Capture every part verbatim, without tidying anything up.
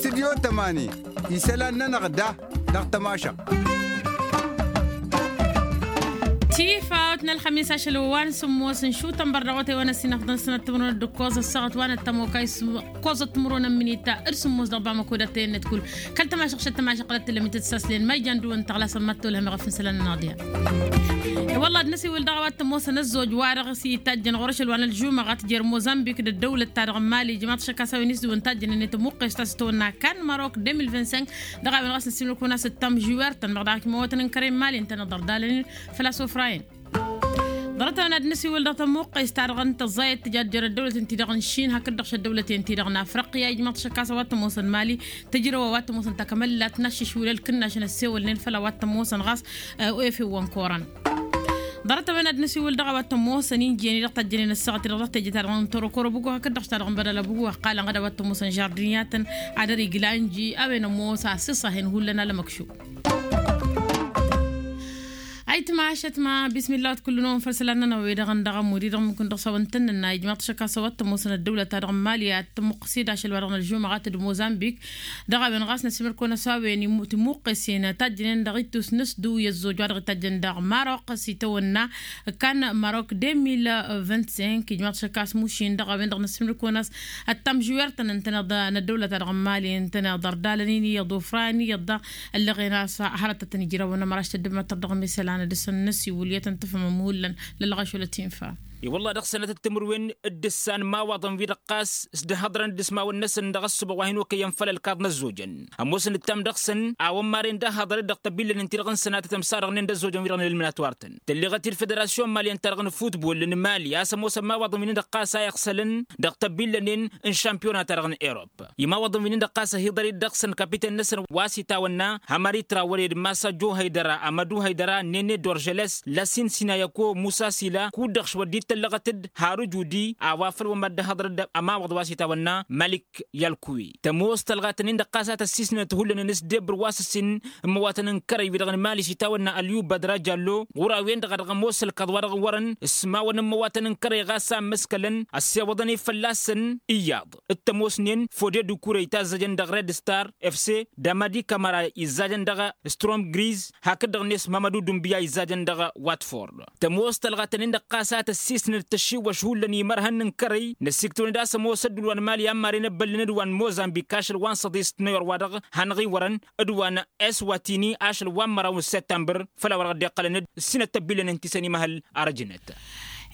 Tidyo tămani isălan-nănăɣ da dăɣ-tămašăɣt. Tifawt n-ălxămis ašăl wa n-sǝmmos n-šutăn bărdăɣ wa tăywan ăsinăfḍăn sănăt timǝrwen d-ǝkkoẓ ăssaɣăt wa n-ăttămokay s-ǝkkoẓăt timǝrwen n-minita d-sǝmmos dăɣ-bamăko d-ătăyăn n-ătkul kăl-tămašăɣt šăt tămašăɣ qălăt tǝllăm itǝssaslen ma ijan dăwăn tăɣlasăn ma t-tolhăm iɣăf n-isălan-nănăɣ diha. I-wălla ad-năsiwǝl dăɣ-a-wa t-ămoosăn ăzzoj-wa-dăɣ s-itajjăn ɣur-ašăl wa n-ălžumăɣ a tǝjjăr mozambik d-ăddăwlăt-ta-dăɣ n-mali ijmaḍ-t ašăk a-s a-wen isdǝwǝn tajjănen i-tămuqqest a-s tăwănna kan marok deux mille vingt-cinq. Dăɣ-a-wen ɣas năsimnăkun a-s ǝttam žiwert-tăn măɣ dăɣ-ak imăwătăn n-kărăy n-mali ǝntăneḍ ărdalăn-in făl-a-s ofrayăn. Ḍarăt-a-wen ad-năsiwǝl dăɣ-tămuqqest-ta-dăɣ n-tăẓẓayăt tǝja ăddăwlăt-in-ti-dăɣ n-išin hakd-dăɣ šăddăwlăt-in-ti-dăɣ n-afriqya ijmaḍ-t ašăk a-s a-wa t-ămoosăn mali tǝjrăw a-wa t-ămoosăn takămăllat n-aššǝšwǝl ălkǝnnašăn ăssewălnen făll-a-wa t-ămoosăn ɣas oefewăn koran. Ḍarăt-a-wen ad-năsiwǝl dăɣ-a-wa t-ămoosăn injiyăn-i-dăɣ tajjănen ăssaɣăt-i-dăɣ dăɣ-teje-ta-dăɣ n-torokoro bǝgu hakd-dăɣ ta-dăɣ n-bădala bǝgu ăqqalăn ɣad a-wa t-ămoosăn žardin i-ad-tăn ad-ărigla ǝnji a-wen ămoos asǝṣ a hin-hullan alămăkšu. Ayǝtma ašătma bismillah wa t-kull-năwăn făll-isălan-nănăɣ wi-dăɣ n-dăɣ-ămud-i-dăɣ mǝnkun dăɣ-s a-wa n-tăn-nănna ijmaḍ-t ašăk a-s a-wa t-ămoosăn ăddăwlăt-ta-dăɣ n-mali ad-tămuqqăs-dd ašăl wa dăɣ-nălžumăɣ a t-dd-mozambik. Dăɣ-a-wen ɣas năsimăr-kăwăn a-s a-wen timuqqesen tajjănen dăɣ-ittus n-ăsdǝw i-ăzzoj wa dăɣ-itajjăn dăɣ-marok s-itawănna kan marok deux mille vingt-cinq ijmaḍ-t ašăk a-s mušin dăɣ-a-wen-dăɣ năsimăr-kăwăn a-s ăttam žiwer-tăn ǝntăneḍ n-ăddăwlăt-ta-dăɣ n-mali ǝntăneḍ ărdalăn-in iyyăḍ ofrayăn iyyăḍ daɣ. Ăllăɣen a-s hărăt ad-tăn-ijrawăn ămăraš tăddǝmăt tărdăɣ n-isălan ad-dăɣ-săn năsiwǝl i-ad-tăn-tǝfhǝmăm hullan lăllăɣ ašăl ătinfa. I-wălla-ɣ dăɣ-sănatăt timǝrwen d-ǝssan imawaḍăn wi-dăɣ ɣas s-dd-hăḍrăn d-ismawăn-năsăn dăɣ-ăssubăɣ wa hin-okăyăn făll-ălkaḍ n-ăzzojăn. Ămoosăn ǝttam dăɣ-săn a-wăn maren d-ahăḍăr-dd dăɣ-tăbillănen-ti-dăɣ n-sănatăt ămsarăɣnen d-ăzzojăn wi-dăɣ n-eliminatwar-tăn. Tălleɣăt-dd federasyon maliyăn-ta-dăɣ n-futbol n-mali a-s ămoosăn imawaḍăn wi-nin-dăɣ ɣas a iɣsălăn dăɣ-tăbillănen n-šampiyona-ta-dăɣ n-erop. Imawaḍăn wi-nin-dăɣ ɣas ăhiḍăr-dd dăɣ-săn kapiten-năsăn wa s-itawănna hamari trawăre d-masa jo haydăra amădu haydăra nene dorjăles lasin sinayăko musa sila kud-dăɣ šwăr dd-tăllăɣăt-dd harǝj udi a-wa făl wăr mad-dd-ăhhăḍăr-dd ămawăḍ wa s-itawănna malik yalkuwi. Tămoos tălɣatăn-in-dăɣ ɣas a tăssisnăt hullan n-s dd-ebbăr wa s-ǝssin n-imăwatăn n-kărăy wi-dăɣ n-mali s-itawănna ălyubadra jallo ɣur-a-wen-dăɣ a dăɣ-ămoos ălkăḍ wa dăɣ-wărăn s-imawăn n-imăwatăn n-kărăy ɣas a ǝmmǝskălăn ăssewăḍăn-i fălla-săn iyyăḍ. D-tămoosnen fode dukure itazzăjăn dăɣ-red star fc d-amadi kamăra izzajăn dăɣ-strom griz hakd-dăɣ-net mamădu dumbiya izzajăn dăɣ-watford. Tămoos tălɣatăn-in-dăɣ ɣas a tăssisnăt tăššiwăš hullan imărhăn n-kărăy năsiktăwăn-dd a-s ămoos ăddul wa n-mali a n-maren ăbbăllăn d-wa n-mozambik ašăl wa n-săḍis tnăyor wa-dăɣ hanăɣ-iwărăn d-wa n-eswatini ašăl wa n-măraw n-săttămbăr. Făll-a-wa dăɣ-dd-iqqălăn d-sinăt tăbbillăn n-tisăn imăhăl arăjnăt.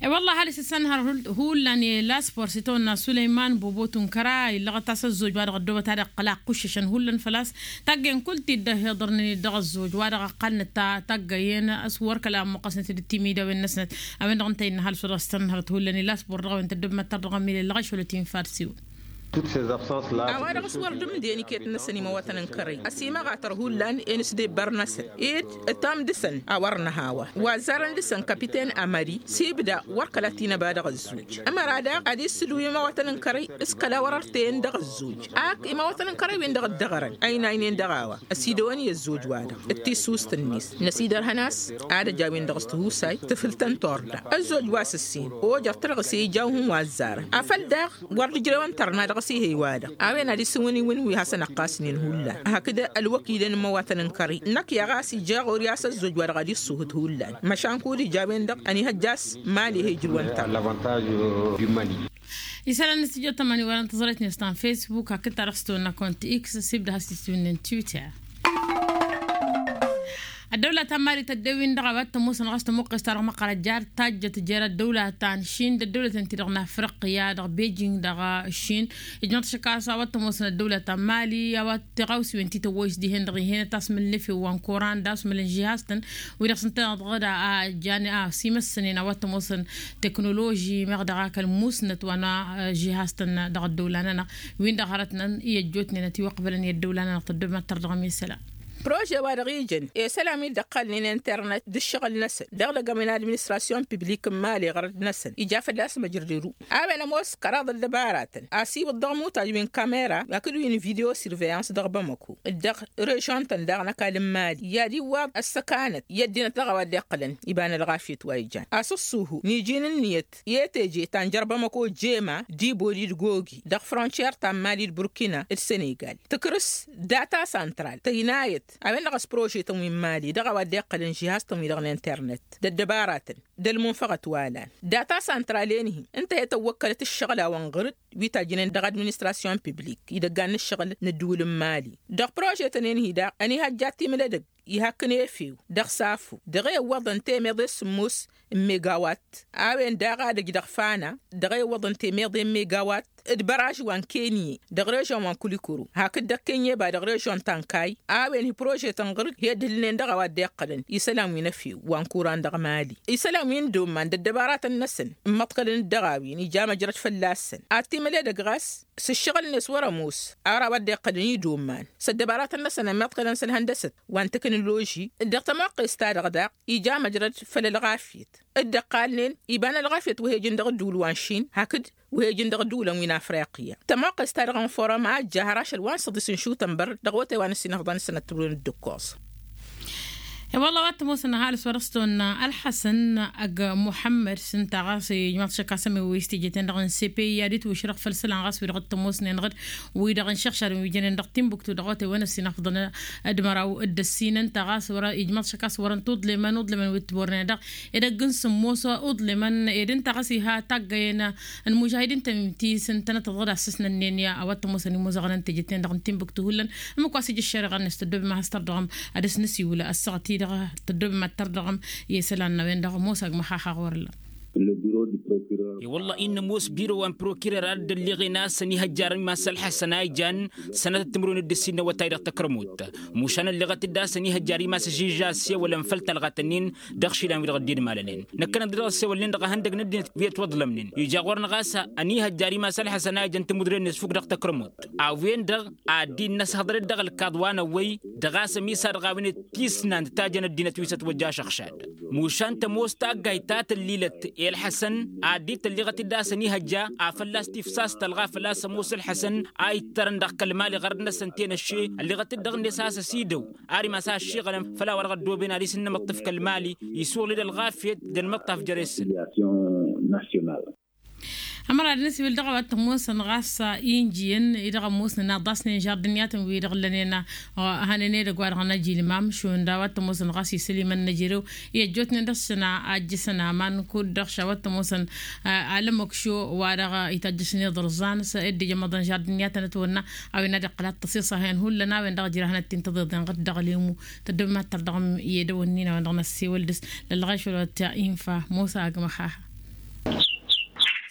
E-wălla-ɣ ăhalǝs isănhăr hullan i-laspor s-itawănna sulăyman bobotu n-kăra illăɣăt-as ăzzoj wa dăɣ-ăddoobăt ad-iqqăl a ǝqquššăšăn hullan făl-a-s taggayen kull-t-dd-ăhiḍărnen-dd dăɣ-ăzzoj wa dăɣ-ăqqalnăt taggayen a-s wăr kăla ămmuqqăsnăt d-timidawen-năsnăt. A-wen-dăɣ ǝnta innă ăhalǝs wa dăɣ-s tănhărăt hullan i-laspor dăɣ-a-wen tăddăbmăt tărdăɣăm ilăllăɣ ašăl ătinfar s-iwǝl. A-wa-dăɣ s-wăr dd-ǝmden iket-năsăn imăwătăn n-kărăy ăsimăɣatăr hullan i-inǝsdebbar-năsăn ed ătam dăɣ-săn a wăr nǝhawa wa ăzzarăn dăɣ-săn kapiten amări s-ibda wăr kăla t-inăba dăɣ-ăzzoj. Ămăra daɣ ad-issǝdǝw imăwătăn n-kărăy s-kăla wăr-ărtăyăn dăɣ-ăzzoj ak imăwătăn n-kărăy-wen-dăɣ dd-ăɣrăn ăynaynen dăɣ-a-wa ăsidăwăn i-ăzzoj-wa-dăɣ d-tissust-net. Năsidărhăn a-s ad-ăj a-wen-dăɣ s-tihusay tǝfǝl-tăn torda ăzzoj wa s-ǝssin ojăr tărɣǝse ija uhǝn wa ăzzarăn afăl daɣ wăr dd-ǝjrewăn tărna dăɣ-s ihăy-wa-dăɣ. A-wen ad-isǝwǝniwǝn wi hasăn-ăqqasnen hullan hakd ălwăkilăn n-imăwatăn n-kărăy năkk i-a ɣas ija ɣur-i a-s ăzzoj-wa-dăɣ ad-issuhǝt hullan măšan kud-ija a-wen-dăɣ ănihăjja a-s mali he-ijrǝwăn tărna. Isălan n-stujo tămani wăren tăẓrăyt-net ta n-facebook hakd-ta-dăɣ s-tăwănna kont x s-ibda has-tǝswǝnnen twitter. Ăddăwla ta n-mali tădde-win-dăɣ a-wa t-ămoosăn ɣas tămuqqes-ta-dăɣ măqqărăt jar tajjăt jer-ăddăwla ta n-šin d-ăddăwlăten-ti-dăɣ n-afriqya dăɣ-bejing dăɣ-šin. Ijmăḍ ašăk a-s a-wa t-ămoosăn ăddăwla ta n-mali a-wa tiɣawsiwen ti tăwwăyǝs dihen-dăɣ ih'-enăt asmǝl n-efew wa n-koran d-asmǝl n-žihaz-tăn. Wi-dăɣ s-ǝntăneḍ ɣǝd a jan a-s imăssănen a-wa t-ămoosăn teknoloži meɣ dăɣ-akăl musnăt wa n-žihaz-tăn dăɣ-ăddăwla-nănăɣ. Win-dăɣ hărătnăn i-ăjjootnen ătiwăqbălăn i-ăddăwla-nănăɣ tăddobmăttăr dăɣ-misăla. Prože-wa-dăɣ ijăn i-isălan wi dd-ăqqalnen internet d-ǝššăɣǝl-năsăn dăɣ-dăgg-ămǝn administrasyon piblik n-imali ɣărăt-năsăn ija fălla-s măjrăd iru. A-wen ămoos kăraḍ ăddăbaratăn asiwǝḍ dăɣ-imutaj wi n-kamera hakd wi n-video surveillance dăɣ-bamăko d-dăɣ-režon-tăn daɣ n-ăkall n-imali i-ad-iwwaḍ ăssăkanăt i-ăddinăt dăɣ-a-wa dd-iqqălăn iba n-ălɣafyăt wa ijan asǝṣṣuhu n-iji n-ǝnniyăt i-teje ta n-jer-bamăko jema d-iboli d-gogi dăɣ-frontiyer ta n-imali d-burkina d-senegal. Tǝkrǝs data santral tăynayăt a-wen-dăɣ a-s prožetăn wi n-imali dăɣ-a-wa dd-iqqălăn žihaz-tăn wi-dăɣ n-internet d-ăddăbaratăn d-ălmunfăɣăt wa lan. Data santral-en-hi ǝnta he-tăwwăkkălăt ǝššăɣǝl-awăn ɣǝr-dd wi tajjǝnen dăɣ-administrasyon piblik idăggan n-ǝššăɣǝl n-ǝddǝwǝl n-imali. Dăɣ-prožetăn-en-hi daɣ ănihăjja timǝl edăgg ihakkăn efew dăɣ-safo dăɣ-e ǝwwăḍăn temeḍe s-sǝmmos n-megawat. A-wen daɣ ad-ăj dăɣ-fana dăɣ-e ǝwwăḍăn temeḍe n-megawat d-băraž wa n-kenye dăɣ-režon wa n-kulikuru hakd dăɣ-kenye ba dăɣ-režon ta n-kay. A-wen hi-prožetăn ɣǝr-dd hi-ăddǝlnen dăɣ-a-wa dd-iqqălăn isălan wi n-efew wa n-kuran dăɣ-mali isălan wi n-dd-omman d-ăddăbaratăn-năsăn n-imăḍkălăn-dd dăɣ-a-wen ija măjrăd fălla-săn. Ad-timǝl edăgg ɣas s-ǝššăɣǝl-net wăr-ămoos ar a-wa dd-iqqălăn i-dd-omman s-ăddăbaratăn-năsăn ămmiḍkălăn s-ălhăndăsăt wa n-teknoloži d-dăɣ-tămoqqest-ta-dăɣ daɣ ija măjrăd făll-ălɣafyăt d-ăqqalnen iba n-ălɣafyăt wa he-ǝjǝn dăɣ-ǝddǝwǝl wa n-šin hakd wa he-ǝjǝn dăɣ-ǝddǝwǝlăn wi n-afriqya. Tămoqqest-ta-dăɣ n-forum a ăjja har ašăl wa n-săḍis n-išutănbăr dăɣ-otay wa n-ăssinăfḍăn s-ănăttăwrǝwăn d-ǝkkoẓ. E-wălla a-wa t-ămoosăn ăhalǝs wăr-ăstăwănna ălḥăsăn ăgg muḥămmăd s-ǝnta ɣas ijmaḍ šăkk asămewăy s-teje-ten-dăɣ n-sepe i-ad-itwǝšrăɣ făll-isălan ɣas wi-dăɣ t-ămoosnen ɣǝd wi-dăɣ n-išăɣšadăn wi jănen dăɣ-timbuktu dăɣ-otay wa n-ăssinăfḍăn d-măraw d-ăssinăn ta ɣas wăr-ijmaḍ šăkk a-s wărăn tuḍlemăn uḍlemăn wi t-bornen dăɣ-edăgg n-sǝmmos uḍlemăn ed ǝnta ɣas iha taggăyăn n-imužahidin-tăn ti s-ǝntănăt tăḍăd assăsnănnen i-a-wa t-ămoosăn imuzăɣăn n-teje-ten-dăɣ n-timbuktu hullan. Ǝmmǝk wa s-ija ăššăreɣa-net tăddob ma has-tărdăɣăm ad-dăɣ-s nǝsiwǝl ăssaɣăt-i-dăɣ tăddob ma t-tărdăɣăm i-isălan n-a-wen-dăɣ ămoos agmăxaxa ɣur-ǝllan. I-wălla-i n-ămoos biro wa n-prokirer a dd-ălleɣen a-s ănihăjjar imas ălḥăsăn a ijan sănătăt timǝrwen d-ǝssin n-awătay dăɣ-tăkrămut. Mušan ălleɣăt-dd a-s ănihăjjar imas ažija ăssewălăn făll-talɣat-ǝnnin dăɣ-išilan wi-dăɣ dd-idmalănen. Năkkăneḍ-dd dăɣ-ăssewălnen dăɣ-ehăndăg n-ăddinăt wi ătwăḍlămnen ija ɣur-năɣ a-s ănihăjjar imas ălḥăsăn a ijăn timǝdren-net fuk dăɣ-tăkrămut. A-wen-dăɣ ad-dd-innăshăḍrăd dăɣ-ălkaḍ wa n-ăwwăy dăɣ-a-s ămisadăɣ a-wen-dd tisnant ta jăn ăddinăt wi s-ătwăjja ašăɣšad. Mušan tămoos taggayt ta tăllilăt i-ălḥăsăn ad-dd-tălliɣăt-dd a-s ănihăjja afăl a-s tifsas tălɣa făl-a-s ămoos ălḥăsăn a ittărăn dăɣ-kăl-mali ɣărăt-năsăn tenăšše. Ălliɣăt-dd dăɣ-net a-s ăsidăw ar imas a ăššiɣălăn făll-a-wa-dăɣ ăddooben ad-isǝnnămăṭṭǝf kăl-mali isuɣǝl-dd ălɣafyăt d-ănmăṭṭaf jere-săn. Ămăra d-nǝsiwǝl dăɣ-a-wa t-ămoosăn ɣas injiyăn-i-dăɣ ămoosnen aḍasnen žardǝniyatăn-wi-dăɣ ǝllănen. Hănen edăgg-wa-dăɣ n-ajilmam šund a-wa t-ămoosăn ɣas isălimăn n-ejărew i-ăjjootnen dăɣ-săn a ăjjǝsăn aman kud-dăɣ š-a-wa t-ămoosăn alămăkšo wa-dăɣ itajjăšăn iḍărẓan s-dd-ija ămmăḍăn žardǝniyatăn ătwănna. A-wen ad-iqqăl ad-t-ăṣiṣăhăn hullan a-wen-dăɣ ǝjrahăn ad-t-in-tăḍeḍen ɣǝd-dăɣ lemu. Tăddobem ad-tărdăɣăm i-edăwănnin a-wen-dăɣ n-ăssewăl dăɣ-s lălɣeš wăla t-infa mosa agmăxaha.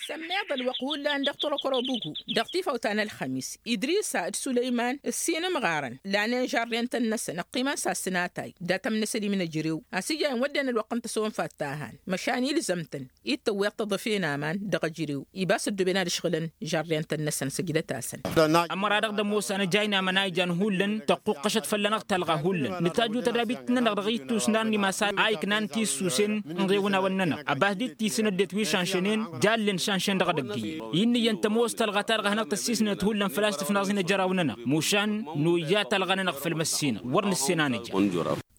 Sămmeḍ ălwăqq hullan dăɣ-turăkăro bǝgu dăɣ-tifawt ta n-ălxămis idrisa d-sulăyman ǝssin ǝmɣarăn lanen žarden-tăn-năsăn ăqqimăn s-ad-sǝnatay dat-ămnăsălim n-ejărew. A-s ija iwădden ălwăqq n-tăsonfat ta han măšan ilzăm-tăn-dd tăwweḍ tăḍăfe n-aman dăɣ-ejărew. Ibas ăddooben ad-ǝšɣǝlăn žarden-tăn-năsăn săjdăt-asăn. Ămăra-dăɣ d-ămoos anăjay n-aman a ijan hullan tăqquqqăšăt fălla-năɣ talɣa hullan nǝtajju tădabit-nănăɣ dăɣ-ittus n-ad-nimas a iknan tissusen n-ɣewǝnawăn-nănăɣ ăbas dd-tisǝn ăddinăt wi šanšănen. Jallen šanšen dăɣ-edăgg-i-i n-iyyăn tămoos talɣa-ta-dăɣ a hanăɣ-tăssisnăt hullan făl-a-s tǝfnaẓ-in ăjăraw-nănăɣ mušan. Noyya talɣa-nănăɣ făll-măssinăɣ wăr nǝssen a nǝja.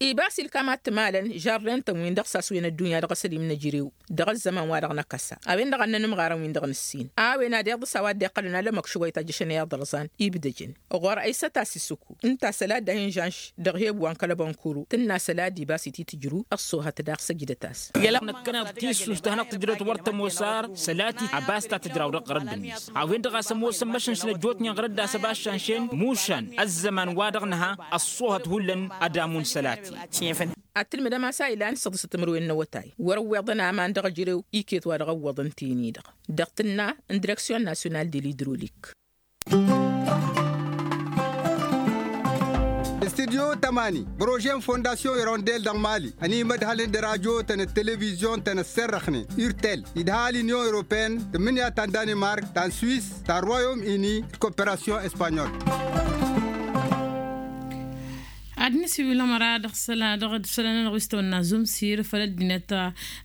Ibas ilkam ad-t-malăn žarden-tăn-win dăɣ-saswen ăddunya dăɣ-asălim n-ejărew dăɣ-ăzzăman wa dăɣ-năkăsa a-wen-dăɣ a ǝnnăn ǝmɣarăn-win-dăɣ nǝssin. A-wen ad-iḍǝs a-wa dd-iqqălăn alămăkšuwăy tajjăšăn i-aḍărẓan ibdăjăn ɣur-ăysăt a-s isǝkku ǝnta săl a dd-ahin žanš. Dăɣ-he-ăbwan kăl-ăbănkuru tǝnna săl a dd-ibas ititǝjru ăṣṣoohăt daɣ săjdăt-as. Năkkăneḍ tissust ta hanăɣ-tǝjrăwt wăr tămoos ar săl a ti-ăbas ta tǝjraw dăɣ-ɣărădd-net. A-wen-dăɣ a-s ămoosăn măšănšăn ăjjootnen ɣărădd a-s ăbas šanšen mušan ăzzăman wa dăɣ-nǝha ăṣṣoohăt hullan ad-amun săl a ti. Ad-tǝlmǝdăm a-s a ilan săḍǝsăt timǝrwen n-awătay wăr-ǝwweḍăn aman dăɣ-ejărew iket wa dăɣ-ăwwăḍăn ten-i-dăɣ dăɣ-tǝnna n-direksyon nasyonal de l'idrolik. Studyo tămani prože n-fondasyon irondel dăɣ-mali ănimădhălăn d-radyo-tăn d-televizyon-tăn ăsserrăxnen urtel idha l-inyon europeen tǝmmǝnǝya ta n-danimark ta n-swis ta n-royom ini d-koperasyon espanyol. Ad-nǝsiwǝl ămăra dăɣ-isălan-nănăɣ wi s-tăwănna zumsir făll-ăddinăt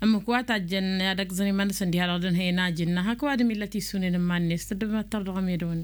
ǝmmǝk wa tajjăn i-ad-ăgg-zăn iman-năsăn diha-dăɣ dăɣ-nǝhăy n-ajǝnna hak ăwadǝm illăt issunen n-iman-net tăddăbăt tărdăɣ-medăwăn.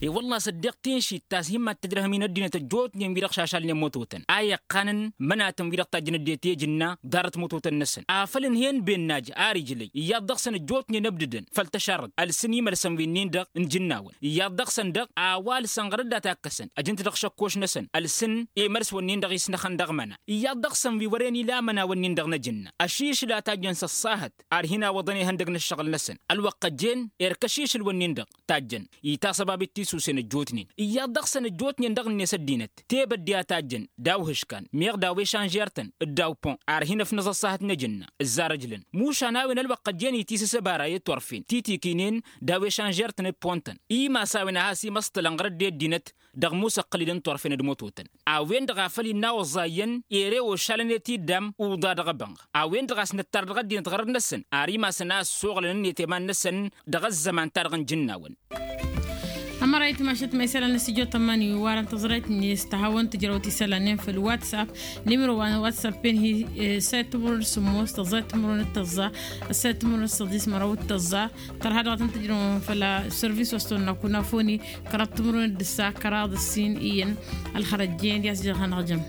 E-wălla-s ăddiɣ tinšit ta s-hin-mad-tǝjrăhăm-in ăddinăt ăjjootnen wi-dăɣ šašalnen mătotăn a iqqanăn mănatăn wi-dăɣ tajjăn ăddinăt i-tejǝnna ḍarăt mătotăn-năsăn afăl ǝnhăyăn bennaj ar ijlăy iyyăḍ dăɣ-săn ăjjootnen ăbdădăn făll-tăšarrăt ălsǝn imălsăn wi-nin-dăɣ n-ijǝnnawăn iyyăḍ dăɣ-săn dăɣ-a-wa ălsăn ɣărăt dat-akkăsăn ăjǝnt dăɣ-išăkkoš-năsăn ălsǝn i-mărs-wǝnnin-dăɣ isnăxăn dăɣ-măna iyyăḍ dăɣ-săn wi wăren ila amăna-wǝnnin-dăɣ n-ajǝnna ăšišǝl a tajjăn s-ăṣṣahăt ar hin-awăḍăn ihăndăg n-ăššăɣǝl-năsăn ălwăqq ăjjeen erk ăšišǝl-wǝnnin-dăɣ tajjăn itasăbabit tisusen ăjjootnen iyyăḍ dăɣ-săn ăjjootnen dăɣ-net ăddinăt tebădde a tajjăn daw-ihǝškan meɣ daw-ešanžer-tăn d-daw-pon ar hin-ăfnăẓ ăṣṣahăt n-ajǝnna ǝzzar ăjlăn mušan a-wen ălwăqq ăjjeen itisǝs ăbara i-turfen titikinen daw-ešanžer-tăn d-pon-tăn imas a-wen a has-imăṣṭălăn ɣărăt d-e-ăddinăt dăɣ-imusăqqǝlil n-turfen d-mototăn a-wen-dăɣ a făl innă a oẓẓa iyyăn ere ošalăn i-tiddam uḍa dăɣ-ebănɣ a-wen-dăɣ a-s nǝttar dăɣ-ăddinăt ɣărăt-năsăn ar imasăn a ăssoɣlăn ǝnniyăt i-iman-năsăn dăɣ-ăzzăman-ta-dăɣ n-ijǝnnawăn. Ămăra itmašăt ma isălan n-asijot ămani warăn tăẓrayt-net tăhawăn tǝjrăwt isălanen făll-whatsapp. Nimro wa n-whatsapp-en hi-set timǝrwen d-sǝmmos tăẓẓa timǝrwen d-tăẓẓa ăsset timǝrwen d-săḍis măraw d-tăẓẓa. Tărha dăɣ-tăn-tǝjrăwăn făll-sărvis wa s-tăwănna kunafoni kăraḍ timǝrwen d-ǝssa kăraḍ ǝssin iyyăn. Ălxărăjjen i-ad-s jăr-hanăɣ-jăm.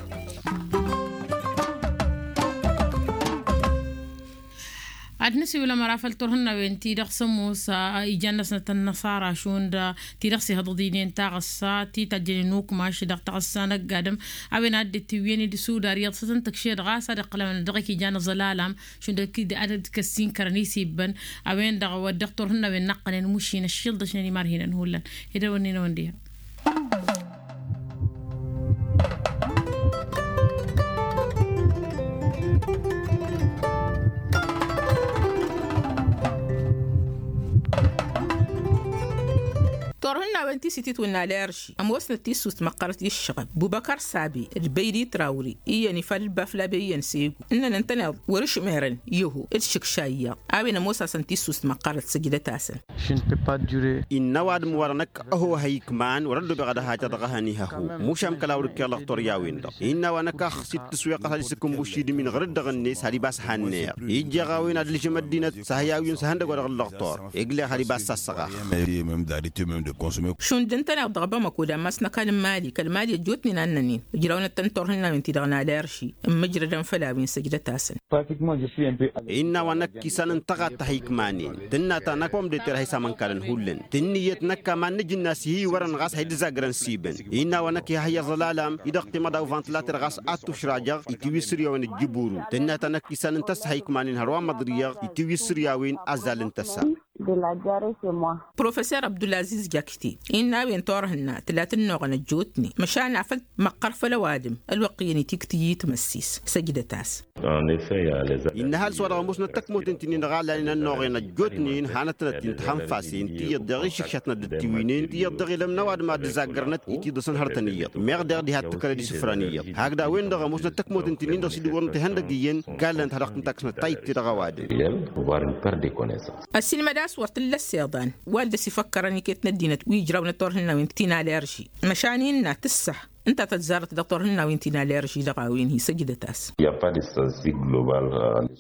Ad-nǝsiwǝl ămăra făll-turhǝnnawen-ti-dăɣ s-ămoos ijan-năsnăt ănnăṣara šund ti-dăɣ s-ihăḍăḍ-inen taɣǝssa ti tajjănen ukmaš dăɣ-taɣǝssa n-ăgg-adǝm. A-wen a dd-tiwǝyăn idǝsudar iyyăḍ s-ad-tăn-tǝkšed ɣas ad-iqqăl a-wen ad-dăɣ-ik ijan aẓălalam šund ad-dd-kăssinkărăn isibbăn. A-wen-dăɣ wăr dăɣ-turhǝnnawen n-aqqănen mušin ăššiḍăšnen imarhinăn hullan. Ed ăwănnin-awăn diha. Turhǝnnawen ti s-ititwǝnna lerži ămoosnăt tissust măqqărăt i-ǝššăɣăb bubăkăr sabi d-băydi trawri iyyăn ifad d-baflabe iyyăn s-egu ǝnnăn ǝntăneḍ wăr-ǝšmerăn i-ăho d-išǝkša iyyăḍ. A-wen ămoos-asăn tissust măqqărăt săjdăt-asăn. Innă ăwadǝm-wa-dăɣ năkk ăho hăy ikman wăr-ăddobeɣ ad-ăhajăɣ dăɣ-ehăn ihăhu mušam kăla wăr-ǝkkeɣ lăɣtor-i-a-wen-dăɣ innă a-wa năkk a ăxsitǝs weqqăt ad-isǝkǝnbuš idǝm-in ɣăr-dd-dăɣ-net had-ibas hannăyăɣ ijjeɣ a-wen ad-ǝlžăm ăddinăt s-ehăy a-wen s-ehăndăgg wa dăɣ-ǝllăɣtor. Egleɣ had-ibas sassăɣax. Šund ǝntăneḍ dăɣ-bamăko d-ammas n-ăkall n-mali kăl-mali ăjjootnen a ǝnnănen ǝjrawnăt-tăn turhǝnnawen-ti-dăɣ n-alerši ǝmmǝjrădăn făll-a-wen săjdăt-asăn. Innă a-wa năkk isan n-tăɣat ta hăy ikmanen tǝnna ta năkk pom d-eter hăy s-amănkalăn hullan tǝnniyăt năkk aman n-ajǝnna s-ihi iwărăn ɣas hăy dd-zagrăn s-ibăn. Innă a-wa năkk iha hăy aẓălalam-i-dăɣ timaḍaw vantilater ɣas ad-tušrajăɣ itiwǝy s-săr i-a-wen ǝjjǝburu tǝnna ta năkk isan n-tăssa hăy ikmanen hărwa n-măḍrǝyăɣ itiwǝy s-săr i-a-wen azzal n-tăssa. Professor abdulaziz jakti innă a-wen turhǝnna tǝla tǝnnuɣăn ăjjootnen măšan afăl măqqăr făll-ăwadǝm ălwăqq iyyăn itiktǝyy i-timăssis săjdăt-as. Innă ăhalǝs-wa-dăɣ ămoosnăt tăkmoten ti-nin-dăɣ a lanen ănnuɣen ăjjootnen hanăt-tănăt-in-tăhănfasen tiyyăḍ daɣ išǝkšatnăt d-tiwǝynen tiyyăḍ daɣ ilăm n-ăwadǝm ad-ǝzaggărnăt itiḍǝsăn hărătăn iyyăḍ meɣ daɣ diha t-tǝkkălăd isǝfran iyyăḍ hakd a-wen-dăɣ ămoosnăt tăkmoten ti-nin-dăɣ s-dd-wărăn tehăndăg iyyăn gallănăt ha dăɣ-tǝntaksnăt ta ittedăɣ ăwadǝm. Ăssiilmăd a-s wăr t-ǝllăs iḍan wa dd-ăsifăkkărăn iket n-ăddinăt wi ǝjrawnăt turhǝnnawen ti n-alerži măšan innă tǝssăh ǝnta tăzzarăt dăɣ-turhǝnnawen ti n-alerži dăɣ-a-wen hi-săjdăt-as.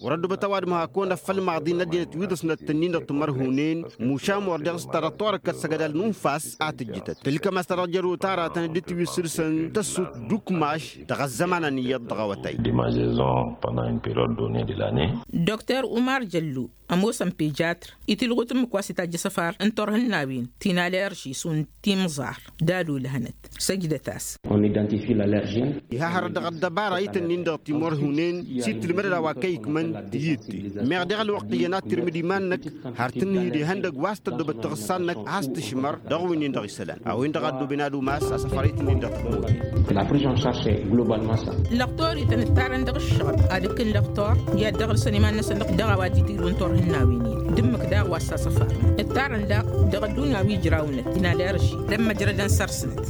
Wăr-ăddubăt ăwadǝm hakk-ownăt făll-imaḍin n-ăddinăt wi ḍǝsnăt tǝnnin-dăɣ timărhunen mušam wăr deɣ s-ta dăɣ-torăkkăt s-ăgg adal n-unfas a tǝjjǝtăt tǝlkăm a-s ta dăɣ-jăr otarătăn dd-tiwǝssǝlsăn tăssut d-ukmaš dăɣ-ăzzămanăn iyyăḍ dăɣ-awătay. Dăɣ-mazezon pănda n-period done de lane. Dr umar jăllu ămoosăn pejatr itilɣut ǝmmǝk wa s-itajj asăfar n-turhǝnnawen ti n-alerži šund timẓar d-ad-olhănăt săjdăt-as. Iha hărăt dăɣ-ăddăbara itǝnnin-dăɣ timărhunen s-ittǝlmădăd a-wa kăy-ikmăn tiyyǝtte meɣ deɣ ălwăqq iyyăn ad-tirmǝd iman-năk har tǝnnǝy d-ihăndăgg wa s-tăddobăt taɣǝssa-năk a has-tǝšmăr dăɣ-wi-nin-dăɣ isălan a-wen-dăɣ a ăddooben ad-umas asăfar itǝnnin-dăɣ tămoten. Lăqtor-ităn ǝttarăn dăɣ-ǝššăɣǝl ad-ǝkkǝn lăqtor i-ad-dăɣ-ǝlsăn iman-năsăn dăɣ-a-wa dd-itilwǝn turhǝnnawen-in d-ǝmmǝk daɣ wa s-asăfar ǝttarăn daɣ dăɣ-ăddunya wi ǝjrawnet inalerži d-ămmăjrădăn săr-snăt.